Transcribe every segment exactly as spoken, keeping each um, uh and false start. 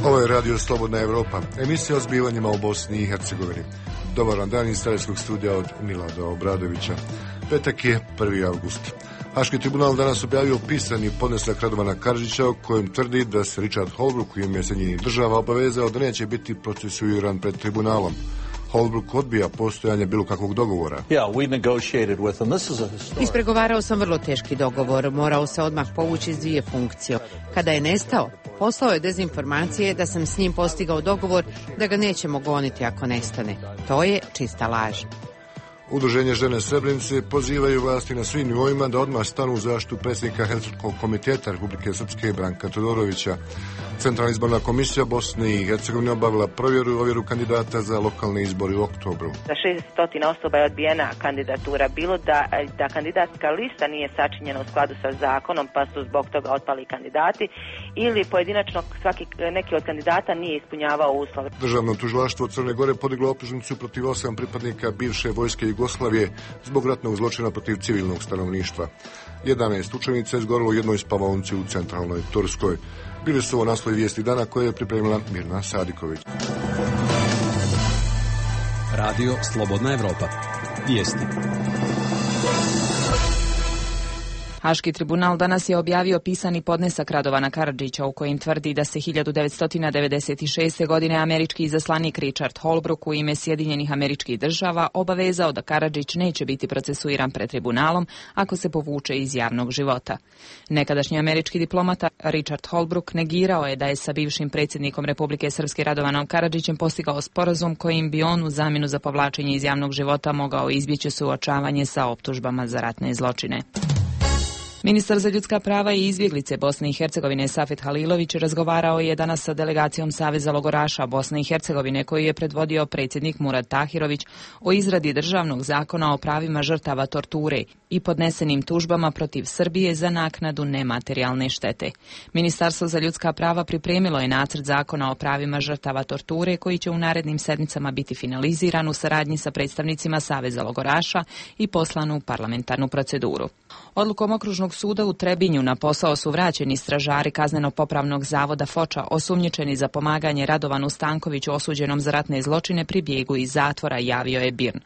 Ovo je Radio Slobodna Evropa, emisija o zbivanjima u Bosni i Hercegovini. Dobar vam dan iz starejskog studija od Milada Obradovića. Petak je prvi avgust. Haški tribunal danas objavio pisani podnesak Radovana Karadžića u kojem tvrdi da se Richard Holbrooke u ime Sjedinjenih Država obavezao da neće biti procesuiran pred tribunalom. Holbrooke odbija postojanje bilo kakvog dogovora. Ispregovarao sam vrlo teški dogovor, morao se odmah povući iz dvije funkcije. Kada je nestao, poslao je dezinformacije da sam s njim postigao dogovor da ga nećemo goniti ako nestane. To je čista laž. Udruženje žene Srebrenice pozivaju vlasti na svim nivoima da odmah stanu u zaštitu predsjednika Helsinškog komiteta Republike Srpske Branka Todorovića. Centralna izborna komisija Bosne i Hercegovine obavila provjeru i ovjeru kandidata za lokalne izbore u oktobru. Za šezdeset osoba je odbijena kandidatura, bilo da, da kandidatska lista nije sačinjena u skladu sa zakonom, pa su zbog toga otpali kandidati, ili pojedinačno svaki neki od kandidata nije ispunjavao uslove. Državno tužilaštvo Crne Gore podiglo optužnicu protiv osam pripadnika bivše vojske Jugoslavije zbog ratnog zločina protiv civilnog stanovništva. jedanaest učenica je izgorilo u jednoj spavaonici u centralnoj Turskoj. Bili su ovo naslovi vijesti dana koje je pripremila Mirna Sadiković. Radio Slobodna Evropa. Vijesti. Haški tribunal danas je objavio pisani podnesak Radovana Karadžića u kojem tvrdi da se hiljadu devetsto devedeset šeste. godine američki izaslanik Richard Holbrooke u ime Sjedinjenih Američkih Država obavezao da Karadžić neće biti procesuiran pred tribunalom ako se povuče iz javnog života. Nekadašnji američki diplomata Richard Holbrooke negirao je da je sa bivšim predsjednikom Republike Srpske Radovanom Karadžićem postigao sporazum kojim bi on u zamjenu za povlačenje iz javnog života mogao izbjeći suočavanje sa optužbama za ratne zločine. Ministar za ljudska prava i izbjeglice Bosne i Hercegovine Safet Halilović razgovarao je danas sa delegacijom Saveza logoraša Bosne i Hercegovine koju je predvodio predsjednik Murad Tahirović o izradi državnog zakona o pravima žrtava torture i podnesenim tužbama protiv Srbije za naknadu nematerijalne štete. Ministarstvo za ljudska prava pripremilo je nacrt zakona o pravima žrtava torture koji će u narednim sedmicama biti finaliziran u saradnji sa predstavnicima Saveza logoraša i poslan u parlamentarnu proceduru. Odlukom Okružnog suda u Trebinju na posao su vraćeni stražari kazneno-popravnog zavoda Foča osumnjičeni za pomaganje Radovanu Stankoviću osuđenom za ratne zločine pri bijegu iz zatvora, javio je BIRN.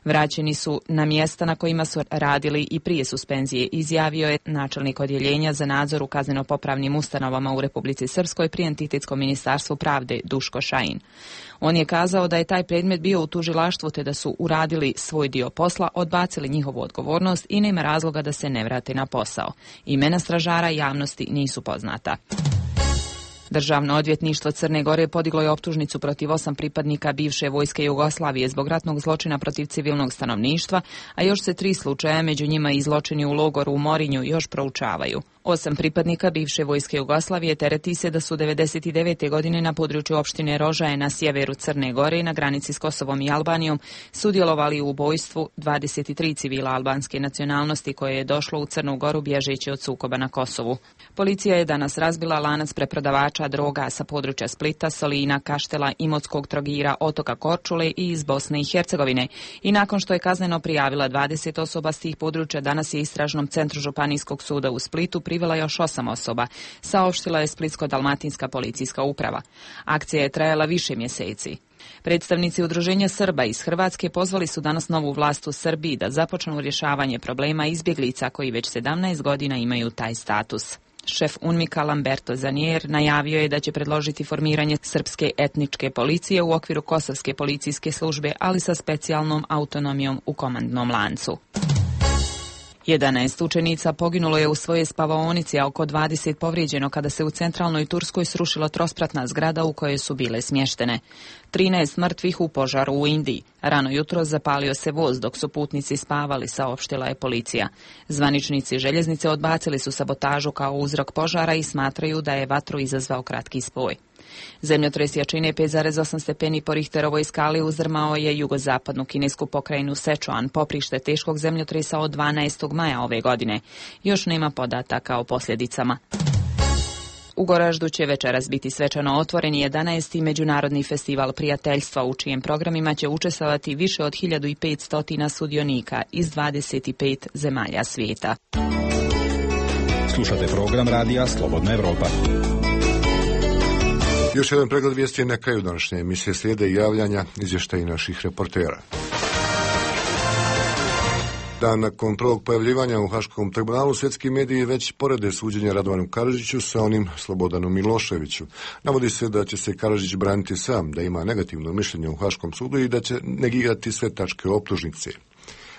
Vraćeni su na mjesta na kojima su radili i prije suspenzije, izjavio je načelnik odjeljenja za nadzor u kazneno-popravnim ustanovama u Republici Srpskoj pri Entitetskom ministarstvu pravde Duško Šajin. On je kazao da je taj predmet bio u tužilaštvu te da su uradili svoj dio posla, odbacili njihovu odgovornost i nema razloga da se ne vrate na posao. Imena stražara javnosti nisu poznata. Državno odvjetništvo Crne Gore podiglo je optužnicu protiv osam pripadnika bivše vojske Jugoslavije zbog ratnog zločina protiv civilnog stanovništva, a još se tri slučaja, među njima i zločini u logoru u Morinju, još proučavaju. Osam pripadnika bivše vojske Jugoslavije tereti se da su devedeset devete. godine na području opštine Rožaje na sjeveru Crne Gore na granici s Kosovom i Albanijom sudjelovali u ubojstvu dvadeset tri civila albanske nacionalnosti koje je došlo u Crnu Goru bježeći od sukoba na Kosovu. Policija je danas razbila lanac preprodavača droga sa područja Splita, Solina, Kaštela, Imotskog, Trogira, Otoka Korčule i iz Bosne i Hercegovine. I nakon što je kazneno prijavila dvadeset osoba s tih područja, danas je istražnom centru Županijskog suda u Splitu privela još osam osoba, saopštila je Splitsko-dalmatinska policijska uprava. Akcija je trajala više mjeseci. Predstavnici Udruženja Srba iz Hrvatske pozvali su danas novu vlast u Srbiji da započnu rješavanje problema izbjeglica koji već sedamnaest godina imaju taj status. Šef UNMIK-a Lamberto Zanier najavio je da će predložiti formiranje srpske etničke policije u okviru kosovske policijske službe, ali sa specijalnom autonomijom u komandnom lancu. jedanaest učenica poginulo je u svojoj spavaonici, a oko dvadeset povrijeđeno kada se u centralnoj Turskoj srušila trospratna zgrada u kojoj su bile smještene. trinaest mrtvih u požaru u Indiji. Rano jutro zapalio se voz dok su putnici spavali, saopštila je policija. Zvaničnici željeznice odbacili su sabotažu kao uzrok požara i smatraju da je vatru izazvao kratki spoj. Zemljotres jačine pet zarez osam stepeni po Richterovoj skali uzdrmao je jugozapadnu kinesku pokrajinu Sečuan, poprište teškog zemljotresa od dvanaestog maja ove godine. Još nema podataka o posljedicama. U Goraždu će večeras biti svečano otvoren jedanaesti Međunarodni festival prijateljstva u čijem programima će učestvovati više od hiljadu petsto sudionika iz dvadeset pet zemalja svijeta. Slušate program radija Slobodna Evropa. Još jedan pregled vijesti na kraju današnje emisije, slijede i javljanja izvještaji naših reportera. Dan nakon prvog pojavljivanja u Haškom tribunalu, svjetski mediji već porede suđenje Radovanu Karadžiću sa onim Slobodanom Miloševiću. Navodi se da će se Karadžić braniti sam, da ima negativno mišljenje u Haškom sudu i da će negirati sve tačke optužnice.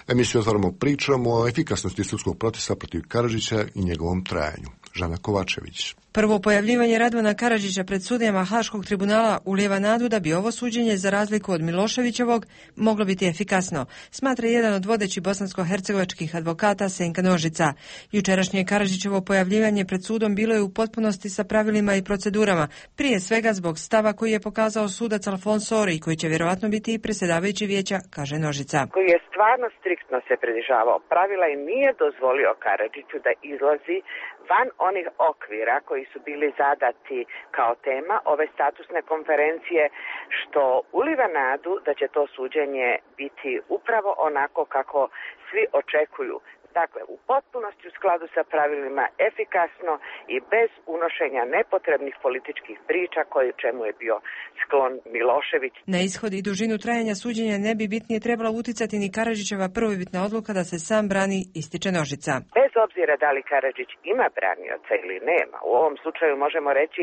Emisiju otvaramo pričom o efikasnosti sudskog procesa protiv Karadžića i njegovom trajanju. Žana Kovačević. Prvo pojavljivanje Radovana Karadžića pred sudijama Haškog tribunala ulijeva nadu da bi ovo suđenje, za razliku od Miloševićevog, moglo biti efikasno, smatra jedan od vodećih bosansko-hercegovačkih advokata Senka Nožica. Jučerašnje Karadžićevo pojavljivanje pred sudom bilo je u potpunosti sa pravilima i procedurama, prije svega zbog stava koji je pokazao sudac Alfonso Ori, koji će vjerovatno biti i predsjedavajući vijeća, kaže Nožica. Koji je stvarno striktno se pridržavao pravila i nije dozvolio Karadžiću da izlazi van onih okvira koji su bili zadati kao tema ove statusne konferencije, što uliva nadu da će to suđenje biti upravo onako kako svi očekuju. Dakle, u potpunosti u skladu sa pravilima, efikasno i bez unošenja nepotrebnih političkih priča koji čemu je bio sklon Milošević. Na ishod i dužinu trajanja suđenja ne bi bitnije trebala uticati ni Karadžićeva prvobitna odluka da se sam brani, ističe Nožica. Bez obzira da li Karadžić ima branioca ili nema, u ovom slučaju možemo reći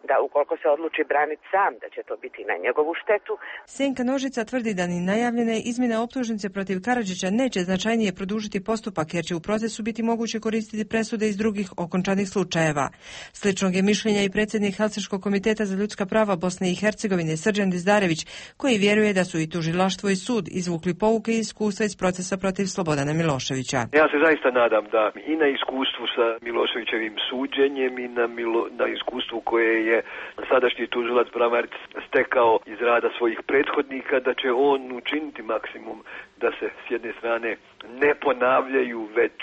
da ukoliko se odluči braniti sam, da će to biti na njegovu štetu. Senka Nožica tvrdi da ni najavljene izmjene optužnice protiv Karadžića neće značajnije produžiti postupak, jer će u procesu biti moguće koristiti presude iz drugih okončanih slučajeva. Sličnog je mišljenja i predsjednik Helsinškog komiteta za ljudska prava Bosne i Hercegovine Srđan Dizdarević, koji vjeruje da su i tužilaštvo i sud izvukli pouke i iskustva iz procesa protiv Slobodana Miloševića. Ja se zaista nadam da i na iskustvu sa Miloševićevim suđenjem i na, Milo, na iskustvu koje je sadašnji tužilac Bramarić stekao iz rada svojih prethodnika, da će on učiniti maksimum da se s jedne strane ne ponavljaju već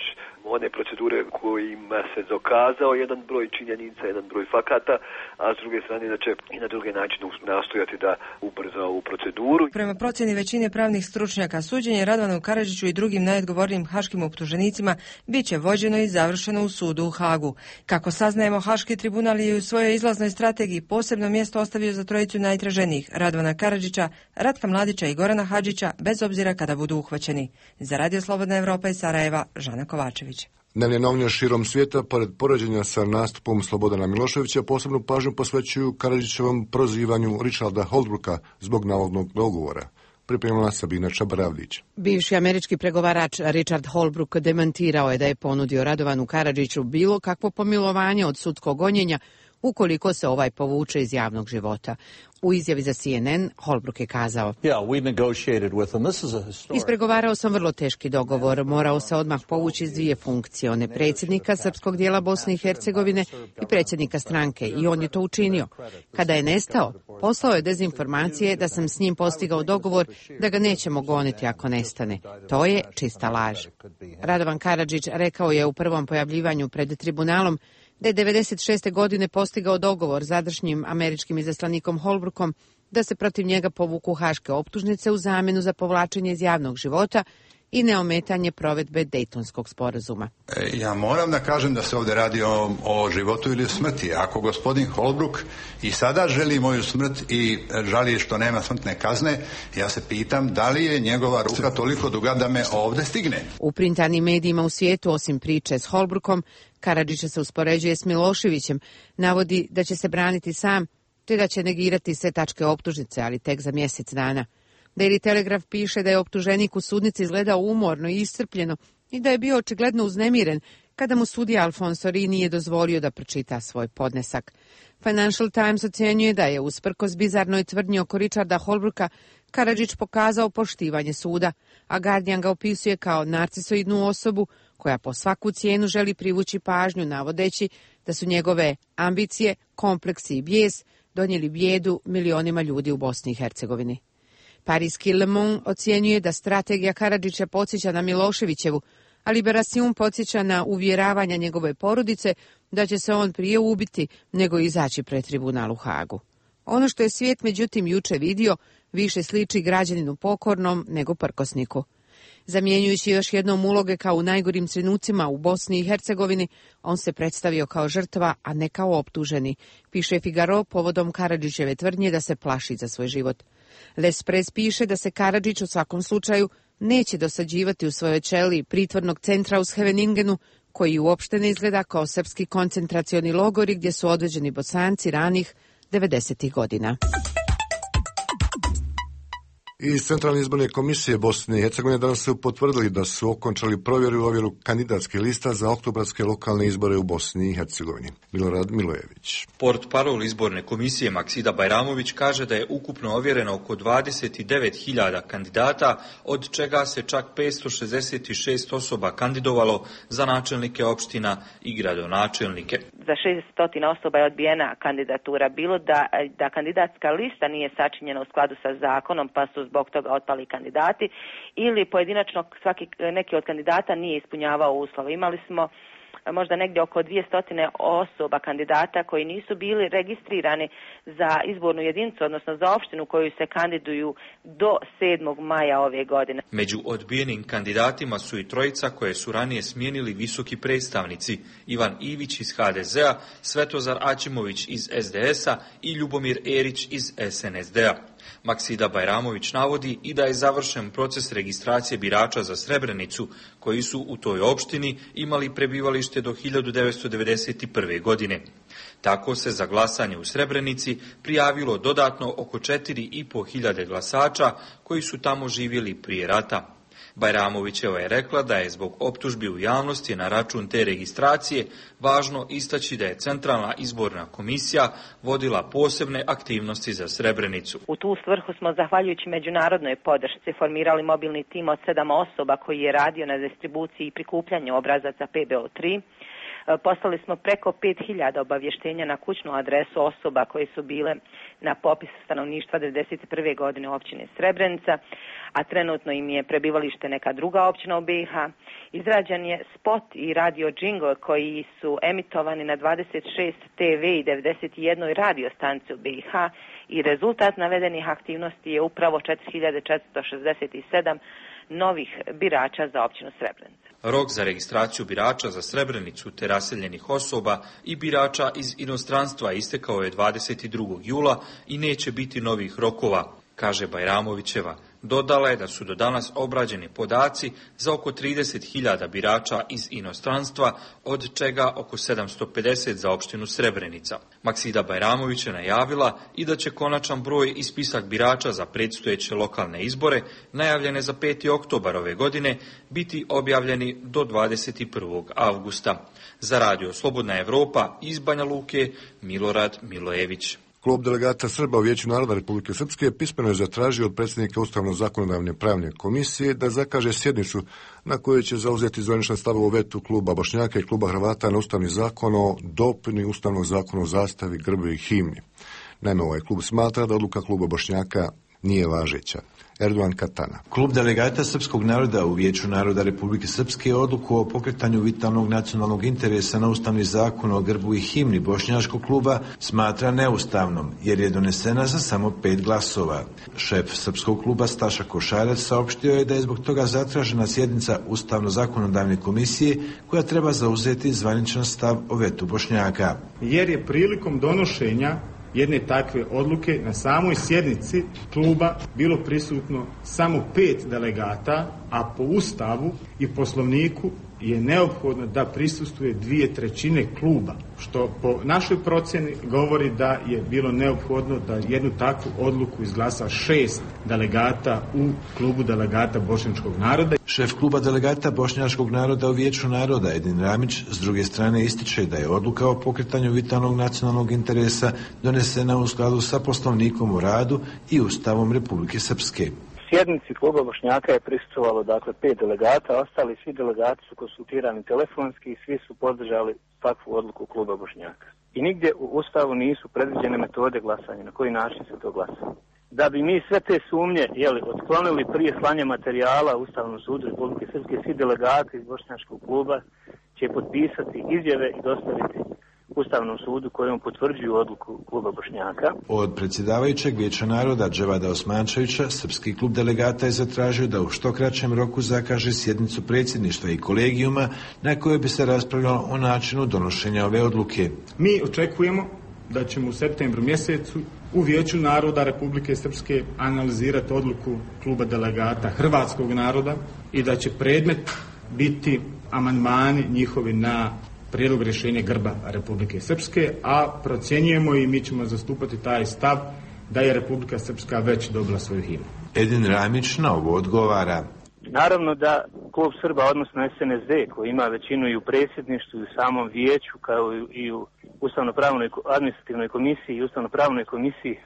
one procedure kojima se dokazao jedan broj činjenica, jedan broj fakata, a s druge strane da će i na druge načine nastojati da ubrza ovu proceduru. Prema procjeni većine pravnih stručnjaka, suđenje Radovanu Karadžiću i drugim najodgovornijim haškim optuženicima bit će vođeno i završeno u sudu u Hagu. Kako saznajemo, Haški tribunal je u svojoj izlaznoj strategiji posebno mjesto ostavio za trojicu najtraženijih, Radovana Karadžića, Ratka Mladića i Gorana Hadžića, bez obzira kada budu uhvaćeni. Za Radio Slobodna Evropa iz Sarajeva, Žana Kovačević. Dnevne novine širom svijeta, pored poređenja sa nastupom Slobodana Miloševića, posebnu pažnju posvećuju Karadžićevom prozivanju Richarda Holbrooka zbog navodnog dogovora. Pripremila Sabina Čabravlić. Bivši američki pregovarač Richard Holbrooke demantirao je da je ponudio Radovanu Karadžiću bilo kakvo pomilovanje od sudskog gonjenja ukoliko se ovaj povuče iz javnog života. U izjavi za C N N Holbrooke je kazao: Ispregovarao sam vrlo teški dogovor, morao se odmah povući iz dvije funkcije, one predsjednika srpskog dijela Bosne i Hercegovine i predsjednika stranke, i on je to učinio. Kada je nestao, poslao je dezinformacije da sam s njim postigao dogovor da ga nećemo goniti ako nestane. To je čista laž. Radovan Karadžić rekao je u prvom pojavljivanju pred tribunalom da je devedeset šeste godine postigao dogovor s sadašnjim američkim izaslanikom Holbrookom da se protiv njega povuku haške optužnice u zamjenu za povlačenje iz javnog života i neometanje provedbe Dejtonskog sporazuma. Ja moram da kažem da se ovdje radi o, o životu ili smrti. Ako gospodin Holbrook i sada želi moju smrt i žali što nema smrtne kazne, ja se pitam da li je njegova ruka toliko duga da me ovdje stigne. U printanim medijima u svijetu, osim priče s Holbrookom, Karadžića se uspoređuje s Miloševićem, navodi da će se braniti sam, te da će negirati sve tačke optužnice, ali tek za mjesec dana. Daily Telegraph piše da je optuženik u sudnici izgledao umorno i iscrpljeno i da je bio očigledno uznemiren kada mu sudija Alfonso Ori nije dozvolio da pročita svoj podnesak. Financial Times ocjenjuje da je, usprkos bizarnoj tvrdnji oko Richarda Holbrooka, Karadžić pokazao poštivanje suda, a Guardian ga opisuje kao narcisoidnu osobu koja po svaku cijenu želi privući pažnju, navodeći da su njegove ambicije, kompleksi i bijes donijeli bijedu milionima ljudi u Bosni i Hercegovini. Parijski Le Monde ocjenjuje da strategija Karadžića podsjeća na Miloševićevu, a Liberation podsjeća na uvjeravanja njegove porodice da će se on prije ubiti nego izaći pred tribunal u Hagu. Ono što je svijet međutim juče vidio više sliči građaninu pokornom nego prkosniku. Zamjenjujući još jednom uloge kao u najgorim trenucima u Bosni i Hercegovini, on se predstavio kao žrtva, a ne kao optuženi, piše Figaro povodom Karadžićeve tvrdnje da se plaši za svoj život. L'Express piše da se Karadžić u svakom slučaju neće dosađivati u svojoj ćeliji pritvornog centra u Scheveningenu, koji uopšte ne izgleda kao srpski koncentracioni logori gdje su odveđeni Bosanci ranih devedesetih godina. Iz Centralne izborne komisije Bosne i Hercegovine danas su potvrdili da su okončali provjeru i ovjeru kandidatskih lista za oktobarske lokalne izbore u Bosni i Hercegovini. Milorad Milojević. Portparol izborne komisije Maksida Bajramović kaže da je ukupno ovjereno oko dvadeset devet hiljada kandidata, od čega se čak petsto šezdeset šest osoba kandidovalo za načelnike opština i gradonačelnike. Za šesto osoba je odbijena kandidatura, bilo da, da kandidatska lista nije sačinjena u skladu sa zakonom, pa su zbog toga otpali kandidati, ili pojedinačno svaki neki od kandidata nije ispunjavao uslove. Imali smo možda negdje oko dvjesto osoba kandidata koji nisu bili registrirani za izbornu jedinicu, odnosno za opštinu koju se kandiduju do sedmog maja ove godine. Među odbijenim kandidatima su i trojica koje su ranije smijenili visoki predstavnici: Ivan Ivić iz ha de zea, Svetozar Aćimović iz es de es a i Ljubomir Erić iz es en es de a. Maksida Bajramović navodi i da je završen proces registracije birača za Srebrenicu, koji su u toj opštini imali prebivalište do hiljadu devetsto devedeset prve. godine. Tako se za glasanje u Srebrenici prijavilo dodatno oko četiri i po hiljade glasača koji su tamo živjeli prije rata. Bajramovićeva je rekla da je zbog optužbi u javnosti na račun te registracije važno istaći da je Centralna izborna komisija vodila posebne aktivnosti za Srebrenicu. U tu svrhu smo, zahvaljujući međunarodnoj podršci, formirali mobilni tim od sedam osoba koji je radio na distribuciji i prikupljanju obrazaca pe be o tri. Poslali smo preko pet hiljada obavještenja na kućnu adresu osoba koje su bile na popisu stanovništva devedeset prve. godine u općini Srebrenica, a trenutno im je prebivalište neka druga općina u be i ha. Izrađen je spot i radio džingl koji su emitovani na dvadeset šest te ve i devedeset jedan radio stanici u be i ha i rezultat navedenih aktivnosti je upravo četiri hiljade četiristo šezdeset sedam novih birača za općinu Srebrenica. Rok za registraciju birača za Srebrenicu te raseljenih osoba i birača iz inostranstva istekao je dvadeset drugog jula i neće biti novih rokova, kaže Bajramovićeva. Dodala je da su do danas obrađeni podaci za oko trideset hiljada birača iz inostranstva, od čega oko sedamsto pedeset za opštinu Srebrenica. Maksida Bajramović je najavila i da će konačan broj i spisak birača za predstojeće lokalne izbore, najavljene za peti oktobar ove godine, biti objavljeni do dvadeset prvog avgusta. Za radio Slobodna Evropa iz Banja Luke, Milorad Milojević. Klub delegata Srba u Vijeću naroda Republike Srpske pismeno je zatražio od predsjednika Ustavno-zakonodavne pravne komisije da zakaže sjednicu na kojoj će zauzeti zvaničan stav o vetu kluba Bošnjaka i kluba Hrvata na Ustavni zakon o dopuni Ustavnog zakona o zastavi, grbu i himni. Naime, ovaj klub smatra da odluka kluba Bošnjaka nije važeća. Erdogan Katana. Klub delegata srpskog naroda u Vijeću naroda Republike Srpske odluku o pokretanju vitalnog nacionalnog interesa na Ustavni zakon o grbu i himni bošnjačkog kluba smatra neustavnom, jer je donesena za samo pet glasova. Šef srpskog kluba Staša Košarac saopštio je da je zbog toga zatražena sjednica Ustavno-zakonodavne komisije koja treba zauzeti zvaničan stav o vetu Bošnjaka. Jer je prilikom donošenja jedne takve odluke na samoj sjednici kluba bilo prisutno samo pet delegata, a po Ustavu i Poslovniku je neophodno da prisustvuje dvije trećine kluba, što po našoj procjeni govori da je bilo neophodno da jednu takvu odluku izglasa šest delegata u klubu delegata bošnjačkog naroda. Šef kluba delegata bošnjačkog naroda u Vijeću naroda Edin Ramić s druge strane ističe da je odluka o pokretanju vitalnog nacionalnog interesa donesena u skladu sa Poslovnikom o radu i Ustavom Republike Srpske. Sjednici kluba Bošnjaka je prisustvovalo dakle pet delegata, ostali svi delegati su konsultirani telefonski i svi su podržali takvu odluku kluba Bošnjaka. I nigdje u Ustavu nisu predviđene metode glasanja, na koji način se to glasa. Da bi mi sve te sumnje jeli, otklonili prije slanja materijala Ustavnom sudu Republike Srpske, svi delegati iz Bošnjačkog kluba će potpisati izjave i dostaviti Ustavnom sudu kojom potvrđuju odluku kluba Bošnjaka. Od predsjedavajućeg Vijeća naroda Dževada Osmančevića srpski klub delegata je zatražio da u što kraćem roku zakaže sjednicu predsjedništva i kolegijuma na kojoj bi se raspravljalo o načinu donošenja ove odluke. Mi očekujemo da ćemo u septembru mjesecu u Vijeću naroda Republike Srpske analizirati odluku kluba delegata hrvatskog naroda i da će predmet biti amandmani njihovi na prijedlog rješenja grba Republike Srpske, a procjenjujemo i mi ćemo zastupati taj stav da je Republika Srpska već dobila svoju himnu. Edin Ramić na ovo odgovara. Naravno da klub Srba, odnosno S N S D, koji ima većinu i u predsjedništvu i u samom vijeću, kao i u Ustavno-pravnoj administrativnoj komisiji i Ustavno-pravnoj komisiji e,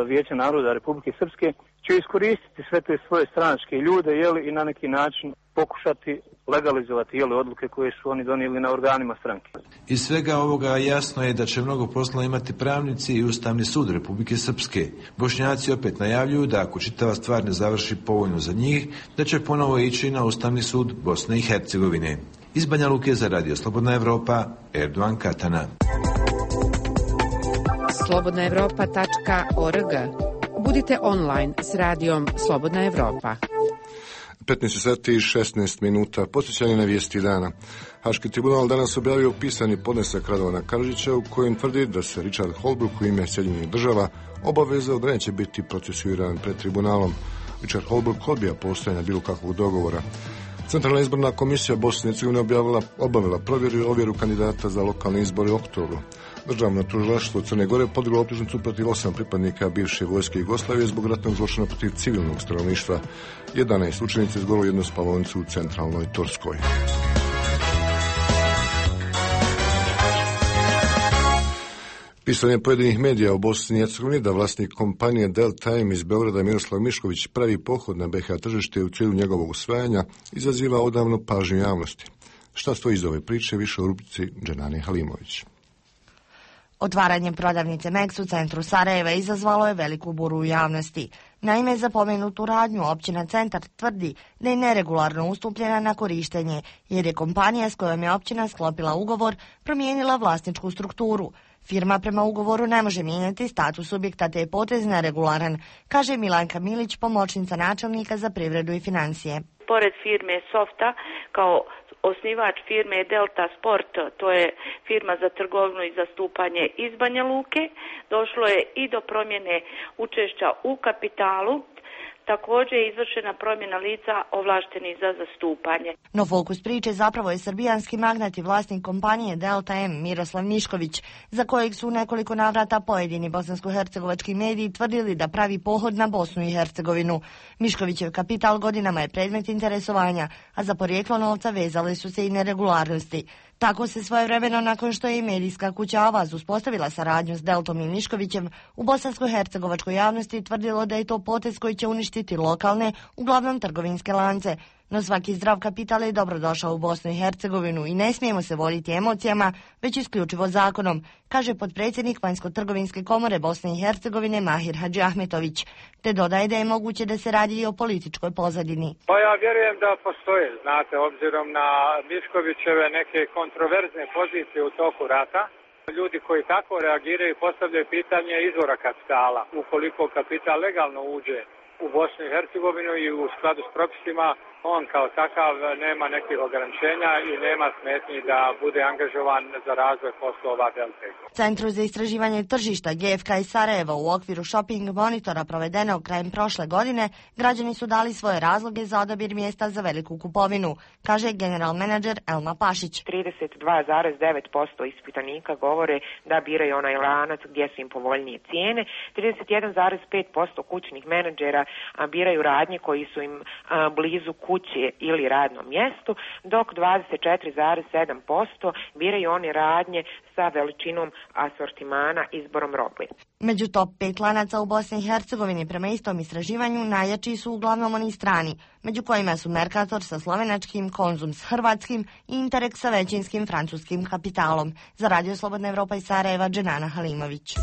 Vijeća naroda Republike Srpske, će iskoristiti sve te svoje stranačke ljude, jeli, i na neki način pokušati legalizovati, jeli, odluke koje su oni donijeli na organima stranke. Iz svega ovoga jasno je da će mnogo posla imati pravnici i Ustavni sud Republike Srpske. Bošnjaci opet najavljuju da ako čitava stvar ne završi povoljno za njih, da će ponovo ići na Ustavni sud Bosne i Hercegovine. Iz Banja Luke za Radio Slobodna Evropa, Erdogan Katana. slobodna evropa tačka org. Budite online s radijom Slobodna Evropa. petnaest sati i šesnaest minuta. Posjećanje na vijesti dana. Haški tribunal danas objavio pisani podnesak Radovana Karadžića u kojem tvrdi da se Richard Holbrooke u ime Sjedinjenih država obavezao da neće biti procesuiran pred tribunalom. Richard Holbrooke odbija postojanje bilo kakvog dogovora. Centralna izborna komisija Bosne i Hercegovine objavila, obavila provjeru i ovjeru kandidata za lokalne izbore u oktobru. Državno tužilaštvo Crne Gore podiglo optužnicu protiv osam pripadnika bivše vojske Jugoslavije zbog ratnog zločina protiv civilnog stanovništva. jedanaest učenica izgorilo jednu spavaonicu u centralnoj Turskoj. Pisanje pojedinih medija u Bosni i Hercegovini da vlasnik kompanije Deltime iz Beograda Miroslav Mišković pravi pohod na B iH tržište u cilju njegovog usvajanja izaziva odavno pažnju javnosti. Šta stoji iz ove priče, više u rubrici Dženane Halimović. Otvaranjem prodavnice Meks u centru Sarajeva izazvalo je veliku buru u javnosti. Naime, za pomenutu radnju općina Centar tvrdi da je neregularno ustupljena na korištenje, jer je kompanija s kojom je općina sklopila ugovor promijenila vlasničku strukturu. Firma prema ugovoru ne može mijenjati status subjekta te je potez neregularan, kaže Milanka Milić, pomoćnica načelnika za privredu i financije. Pored firme Softa, kao osnivač firme je Delta Sport, to je firma za trgovinu i zastupanje iz Banja Luke. Došlo je i do promjene učešća u kapitalu. Također je izvršena promjena lica ovlaštenih za zastupanje. No fokus priče zapravo je srbijanski magnat i vlasnik kompanije Delta M Miroslav Mišković, za kojeg su u nekoliko navrata pojedini bosansko-hercegovački mediji tvrdili da pravi pohod na Bosnu i Hercegovinu. Miškovićev kapital godinama je predmet interesovanja, a za porijeklo novca vezale su se i neregularnosti. Tako se svojevremeno, nakon što je i medijska kuća Avaz uspostavila saradnju s Deltom i Miškovićem, u bosansko-hercegovačkoj javnosti tvrdilo da je to potez koji će uništiti lokalne, uglavnom trgovinske lance. No svaki zdrav kapital je dobrodošao u Bosnu i Hercegovinu i ne smijemo se voditi emocijama, već isključivo zakonom, kaže potpredsjednik Vanjsko-trgovinske komore Bosne i Hercegovine Mahir Hadžiahmetović, te dodaje da je moguće da se radi i o političkoj pozadini. Pa ja vjerujem da postoje, znate, obzirom na Miškovićeve neke kontroverzne pozicije u toku rata. Ljudi koji tako reagiraju postavljaju pitanje izvora kapitala. Ukoliko kapital legalno uđe u Bosnu i Hercegovinu i u skladu s propisima, on kao takav nema nekih ograničenja i nema smetnji da bude angažovan za razvoj poslova Delte. Centru za istraživanje tržišta G F K iz Sarajeva u okviru shopping monitora provedenog krajem prošle godine, građani su dali svoje razloge za odabir mjesta za veliku kupovinu, kaže general menadžer Elma Pašić. trideset dva zarez devet posto ispitanika govore da biraju onaj lanac gdje su im povoljnije cijene, trideset jedan zarez pet posto kućnih menadžera biraju radnje koji su im blizu kuće ili radnom mjestu, dok dvadeset četiri zarez sedam posto biraju one radnje sa veličinom asortimana, izborom robe. Među top pet lanaca u Bosni i Hercegovini prema istom istraživanju najjači su uglavnom oni strani, među kojima su Mercator sa slovenačkim, Konzum s hrvatskim i Interek sa većinskim francuskim kapitalom. Za Radio Slobodna Evropa iz Sarajeva, Dženana Halimović.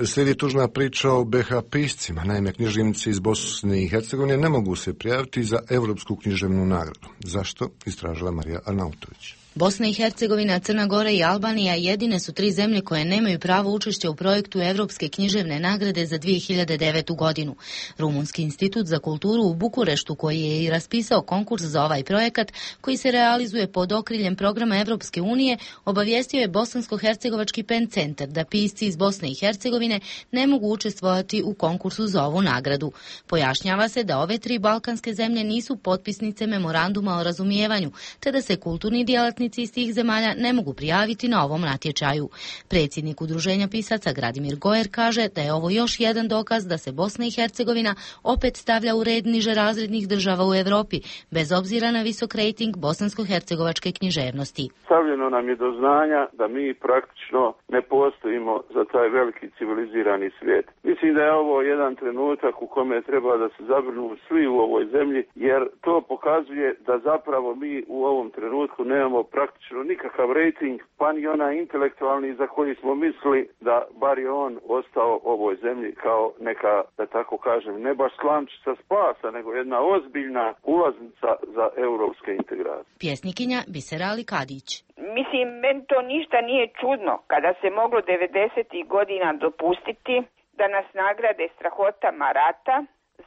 Slijedi tužna priča o B iH piscima. Naime, književnici iz Bosne i Hercegovine ne mogu se prijaviti za Europsku književnu nagradu. Zašto? Istražila Marija Arnautović. Bosna i Hercegovina, Crna Gora i Albanija jedine su tri zemlje koje nemaju pravo učešća u projektu Evropske književne nagrade za dvije hiljade devetu godinu. Rumunski institut za kulturu u Bukureštu, koji je i raspisao konkurs za ovaj projekat, koji se realizuje pod okriljem programa Evropske unije, obavijestio je Bosansko-hercegovački pen centar da pisci iz Bosne i Hercegovine ne mogu učestvovati u konkursu za ovu nagradu. Pojašnjava se da ove tri balkanske zemlje nisu potpisnice memoranduma o razumijevanju, te da se kulturni djelatnici iz tih zemalja ne mogu prijaviti na ovom natječaju. Predsjednik Udruženja pisaca Gradimir Gojer kaže da je ovo još jedan dokaz da se Bosna i Hercegovina opet stavlja u red niže razrednih država u Europi, bez obzira na visok rejting bosansko-hercegovačke književnosti. Stavljeno nam je do znanja da mi praktično ne postojimo za taj veliki civilizirani svijet. Mislim da je ovo jedan trenutak u kome treba da se zabrinu svi u ovoj zemlji, jer to pokazuje da zapravo mi u ovom trenutku nemamo praktično nikakav rejting, pa ni onaj intelektualni za koji smo mislili da bar je on ostao ovoj zemlji kao neka, da tako kažem, ne baš slamčica spasa, nego jedna ozbiljna ulaznica za europske integracije. Pjesnikinja Bisera Ali Kadić. Mislim, meni to ništa nije čudno kada se moglo devedesetih godina dopustiti da nas nagrade strahotama rata.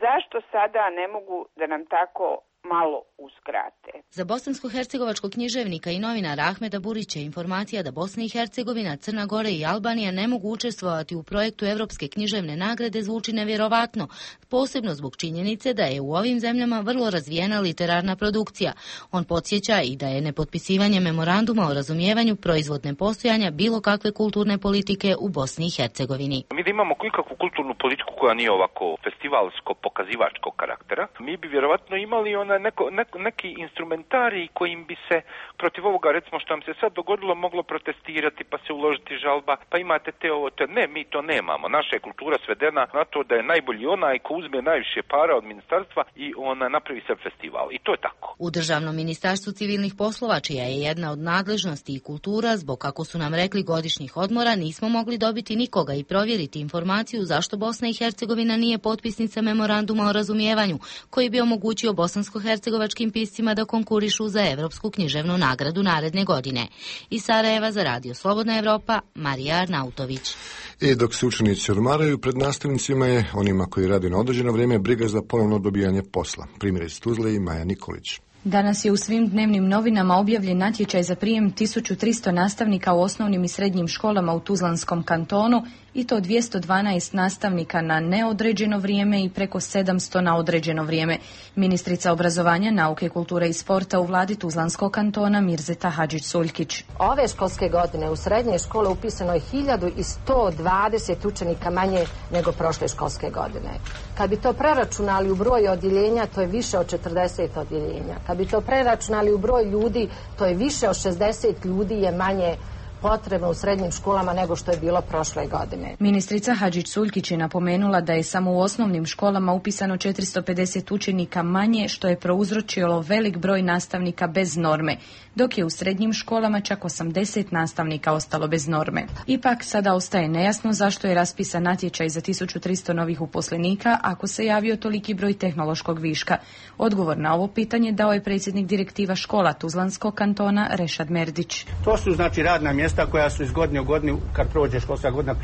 Zašto sada ne mogu da nam tako malo uskrate? Za bosansko-hercegovačkog književnika i novinara Ahmeda Burića informacija da Bosna i Hercegovina, Crna Gora i Albanija ne mogu učestvovati u projektu Evropske književne nagrade zvuči nevjerovatno, posebno zbog činjenice da je u ovim zemljama vrlo razvijena literarna produkcija. On podsjeća i da je nepotpisivanje memoranduma o razumijevanju proizvodne postojanja bilo kakve kulturne politike u Bosni i Hercegovini. Mi da imamo kakvu kulturnu politiku koja nije ovako festivalsko-pokazivačkog karaktera, mi bi vjerovatno imali ona neko, neko, neki instrumentarij kojim bi se protiv ovoga, recimo što nam se sad dogodilo, moglo protestirati, pa se uložiti žalba, pa imate te ovo, te ne, mi to nemamo. Naša je kultura svedena na to da je najbolji onaj ko uzme najviše para od ministarstva i ona napravi se festival. I to je tako. U Državnom ministarstvu civilnih poslova, čija je jedna od nadležnosti i kultura, zbog, kako su nam rekli, godišnjih odmora, nismo mogli dobiti nikoga i provjeriti informaciju zašto Bosna i Hercegovina nije potpisnica memoranduma o razumijevanju, koji bi omogućio bosansko-hercegovačkim piscima da konkurišu za Evropsku književnu nagradu naredne godine. Iz Sarajeva za Radio Slobodna Evropa, Marija Arnautović. I dok se učenici odmaraju, pred nastavnicima je, onima koji rade na određeno vrijeme, briga za ponovno dobijanje posla. Primjer iz Tuzle i Maja Nikolić. Danas je u svim dnevnim novinama objavljen natječaj za prijem tisuću tristo nastavnika u osnovnim i srednjim školama u Tuzlanskom kantonu, i to dvjesto dvanaest nastavnika na neodređeno vrijeme i preko sedamsto na određeno vrijeme. Ministrica obrazovanja, nauke, kulture i sporta u vladi Tuzlanskog kantona Mirzeta Hadžić-Suljkić. Ove školske godine u srednje škole upisano je hiljadu sto dvadeset učenika manje nego prošle školske godine. Kad bi to preračunali u broj odjeljenja, to je više od četrdeset odjeljenja. Kad bi to preračunali u broj ljudi, to je više od šezdeset ljudi je manje potrebno u srednjim školama nego što je bilo prošle godine. Ministrica Hadžić-Suljkić je napomenula da je samo u osnovnim školama upisano četiristo pedeset učenika manje, što je prouzročilo velik broj nastavnika bez norme, dok je u srednjim školama čak osamdeset nastavnika ostalo bez norme. Ipak sada ostaje nejasno zašto je raspisan natječaj za tisuću tristo novih uposlenika ako se javio toliki broj tehnološkog viška. Odgovor na ovo pitanje dao je predsjednik direktiva škola Tuzlanskog kantona Rešad Merdić. To su znači radna mjesta koja su iz godine u godinu, kad prođe školska godina,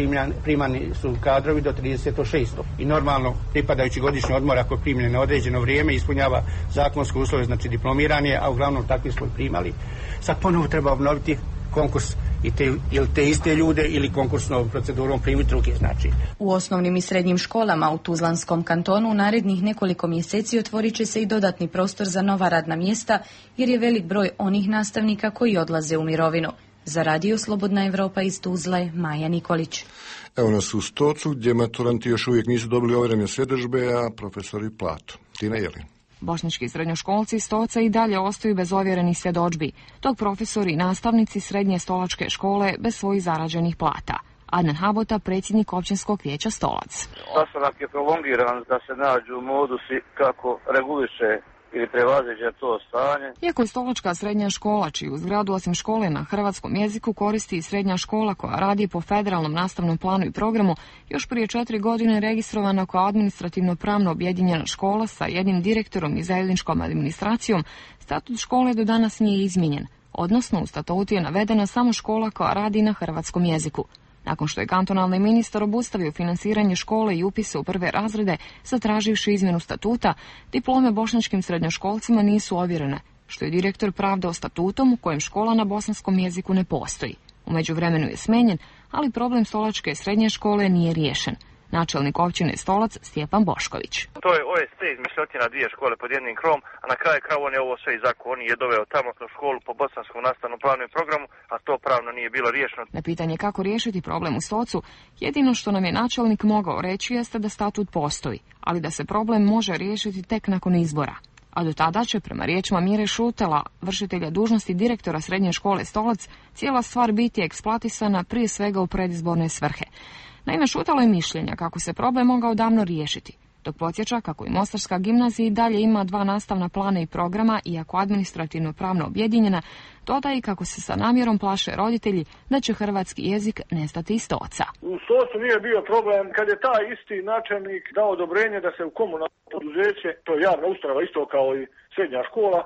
primani su kadrovi do trideset šest. I normalno, pripadajući godišnji odmor, ako primljene na određeno vrijeme, ispunjava zakonske uslove, znači diplomiran je, a uglavnom takvi smo primali. Sad ponovo treba obnoviti konkurs i te, ili te iste ljude ili konkursnom procedurom primiti druge, znači. U osnovnim i srednjim školama u Tuzlanskom kantonu u narednih nekoliko mjeseci otvorit će se i dodatni prostor za nova radna mjesta, jer je velik broj onih nastavnika koji odlaze u mirovinu. Za Radio Slobodna Evropa iz Tuzle, Maja Nikolić. Evo nas u Stocu, gdje maturanti još uvijek nisu dobili ovjerene svjedodžbe, a profesori platu. Tina Jelin. Bošnjački srednjoškolci iz Stoca i dalje ostaju bez ovjerenih svjedodžbi, dok profesori i nastavnici srednje stolačke škole bez svojih zarađenih plata. Adnan Habota, predsjednik općinskog vijeća Stolac. Sastanak je prolongiran da se nađu modusi kako reguliše ili prevaziđe to stanje. Iako je Stolačka srednja škola, čiju zgradu osim škole na hrvatskom jeziku koristi i srednja škola koja radi po federalnom nastavnom planu i programu, još prije četiri godine registrovana kao administrativno pravno objedinjena škola sa jednim direktorom i zajedničkom administracijom, statut škole do danas nije izmijenjen. odnosno u statutu je navedena samo škola koja radi na hrvatskom jeziku. Nakon što je kantonalni ministar obustavio finansiranje škole i upise u prve razrede, zatraživši izmjenu statuta, diplome bošnjačkim srednjoškolcima nisu ovjerene, što je direktor pravdao statutom u kojem škola na bosanskom jeziku ne postoji. U međuvremenu je smenjen, ali problem Stolačke srednje škole nije riješen. Načelnik općine Stolac Stjepan Bošković. To je O S C izmišljotina dvije škole pod jednim krovom, a na kraju kraju on je ovo sve izako, on je doveo tamo u školu po bosanskom nastavnom planu i programu, a to pravno nije bilo riješeno. Na pitanje kako riješiti problem u Stocu, jedino što nam je načelnik mogao reći jeste da statut postoji, ali da se problem može riješiti tek nakon izbora. A do tada će, prema riječima Mire Šutela, vršitelja dužnosti direktora srednje škole Stolac, cijela stvar biti eksploatisana prije svega u predizborne svrhe. Naime, Šutelo je mišljenja kako se problem mogao davno riješiti, dok podsjeća kako i Mostarska gimnazija i dalje ima dva nastavna plana i programa, iako administrativno pravno objedinjena, dodaje i kako se sa namjerom plaše roditelji da će hrvatski jezik nestati iz Stoca. U Stocu nije bio problem kad je taj isti načelnik dao odobrenje da se u komunalno poduzeće, to je javna ustanova isto kao i srednja škola,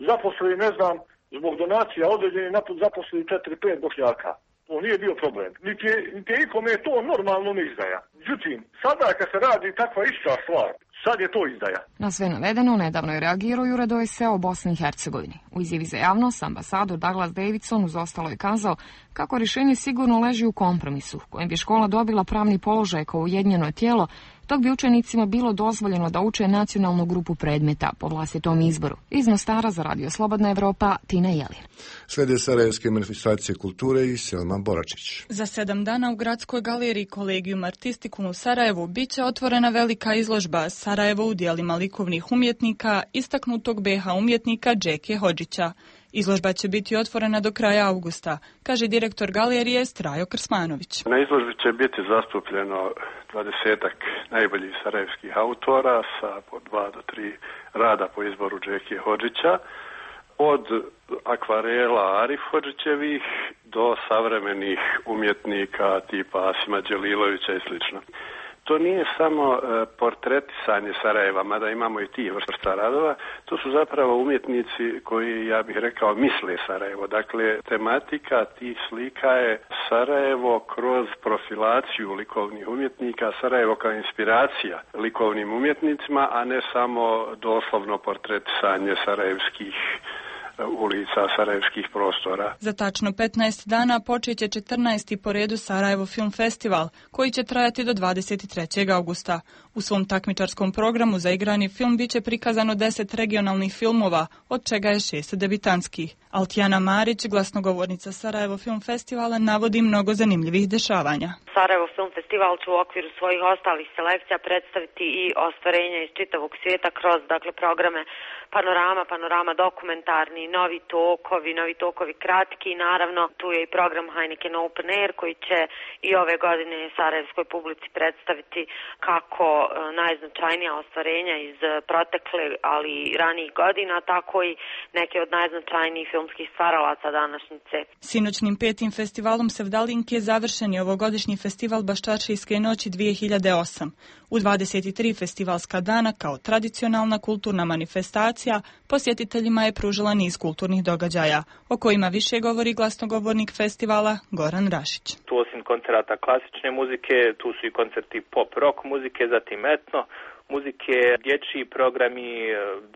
zaposli, ne znam, zbog donacija određeni zaposli četiri pet Bošnjaka. To nije bio problem. Niti je, niti je ikome to normalno ne izdaja. Međutim, sada kad se radi takva ista stvar, sad je to izdaja. Na sve navedeno nedavno je reagirao i Ured O S C-a u Bosni i Hercegovini. U izjavi za javnost ambasador Douglas Davidson uz ostalo je kazao kako rješenje sigurno leži u kompromisu, kojim bi škola dobila pravni položaj kao ujedinjeno tijelo, dok bi učenicima bilo dozvoljeno da uče nacionalnu grupu predmeta po vlastitom izboru. Iz Mostara za Radio Slobodna Evropa, Tina Jelin. Slijede sarajevske manifestacije kulture i Selma Boračić. Za sedam dana u Gradskoj galeriji Collegium Artisticum u Sarajevu bit će otvorena velika izložba Sarajevo u dijelima likovnih umjetnika, istaknutog B H umjetnika Džeke Hodžića. Izložba će biti otvorena do kraja avgusta, kaže direktor galerije Strajo Krsmanović. Na izložbi će biti zastupljeno dvadesetak najboljih sarajevskih autora sa po dva do tri rada po izboru Džeke Hodžića, od akvarela Arif Hodžićevih do savremenih umjetnika tipa Asima Đelilovića i slično. To nije samo e, portretisanje Sarajeva, mada imamo i ti vrsta radova, to su zapravo umjetnici koji, ja bih rekao, misle Sarajevo. Dakle, tematika tih slika je Sarajevo kroz profilaciju likovnih umjetnika, Sarajevo kao inspiracija likovnim umjetnicima, a ne samo doslovno portretisanje sarajevskih ulica, sarajevskih prostora. Za tačno petnaest dana počet će četrnaesti po redu Sarajevo Film Festival, koji će trajati do dvadeset trećeg augusta. U svom takmičarskom programu za igrani film bit će prikazano deset regionalnih filmova, od čega je šest debitanskih. Altijana Marić, glasnogovornica Sarajevo Film Festivala, navodi mnogo zanimljivih dešavanja. Sarajevo Film Festival će u okviru svojih ostalih selekcija predstaviti i ostvarenja iz čitavog svijeta kroz dakle programe Panorama, Panorama dokumentarni, novi tokovi, novi tokovi kratki i naravno tu je i program Heineken Open Air koji će i ove godine sarajevskoj publici predstaviti kako najznačajnija ostvarenja iz protekle, ali i ranijih godina, tako i neke od najznačajnijih filmskih stvaralaca današnjice. Sinoćnim petim festivalom Sevdalinke završen je ovogodišnji festival Baščaršijske noći dvije hiljade osam. U dvadeset tri festivalska dana kao tradicionalna kulturna manifestacija posjetiteljima je pružila niz kulturnih događaja, o kojima više govori glasnogovornik festivala Goran Rašić. Tu osim koncerata klasične muzike, tu su i koncerti pop rock muzike, zatim etno muzike, dječji programi,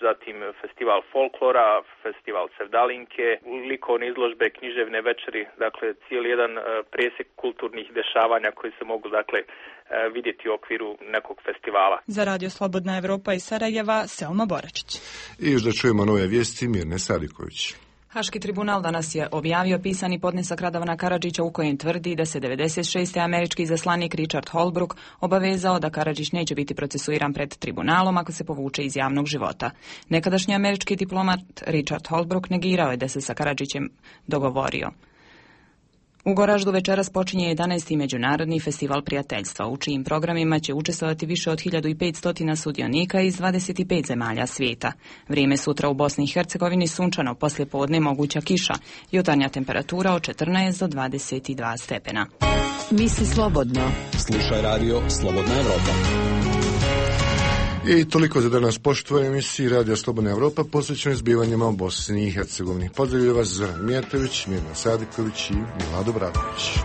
zatim festival folklora, festival Sevdalinke, likovne izložbe, književne večeri, dakle cijeli jedan presjek kulturnih dešavanja koji se mogu dakle vidjeti u okviru nekog festivala. Za Radio Slobodna Evropa iz Sarajeva, Selma Boračić. I još da čujemo nove vijesti Mirne Sadiković. Haški tribunal danas je objavio pisani podnesak Radovana Karadžića u kojem tvrdi da se devedeset šeste američki izaslanik Richard Holbrooke obavezao da Karadžić neće biti procesuiran pred tribunalom ako se povuče iz javnog života. Nekadašnji američki diplomat Richard Holbrooke negirao je da se sa Karadžićem dogovorio. U Goraždu večeras počinje jedanaesti Međunarodni festival prijateljstva, u čijim programima će učestvovati više od hiljadu petsto sudionika iz dvadeset pet zemalja svijeta. Vrijeme sutra u Bosni i Hercegovini sunčano, poslije podne moguća kiša, jutarnja temperatura od četrnaest do dvadeset dva stepena. Misli slobodno. Slušaj radio Slobodna Evropa. I toliko za danas poštovanje emisiji Radio Slobodna Evropa posvećenoj zbivanjima u Bosni i Hercegovini. Pozdravljaju vas Zoran Mijatović, Mirna Sadiković i Milado Bradović.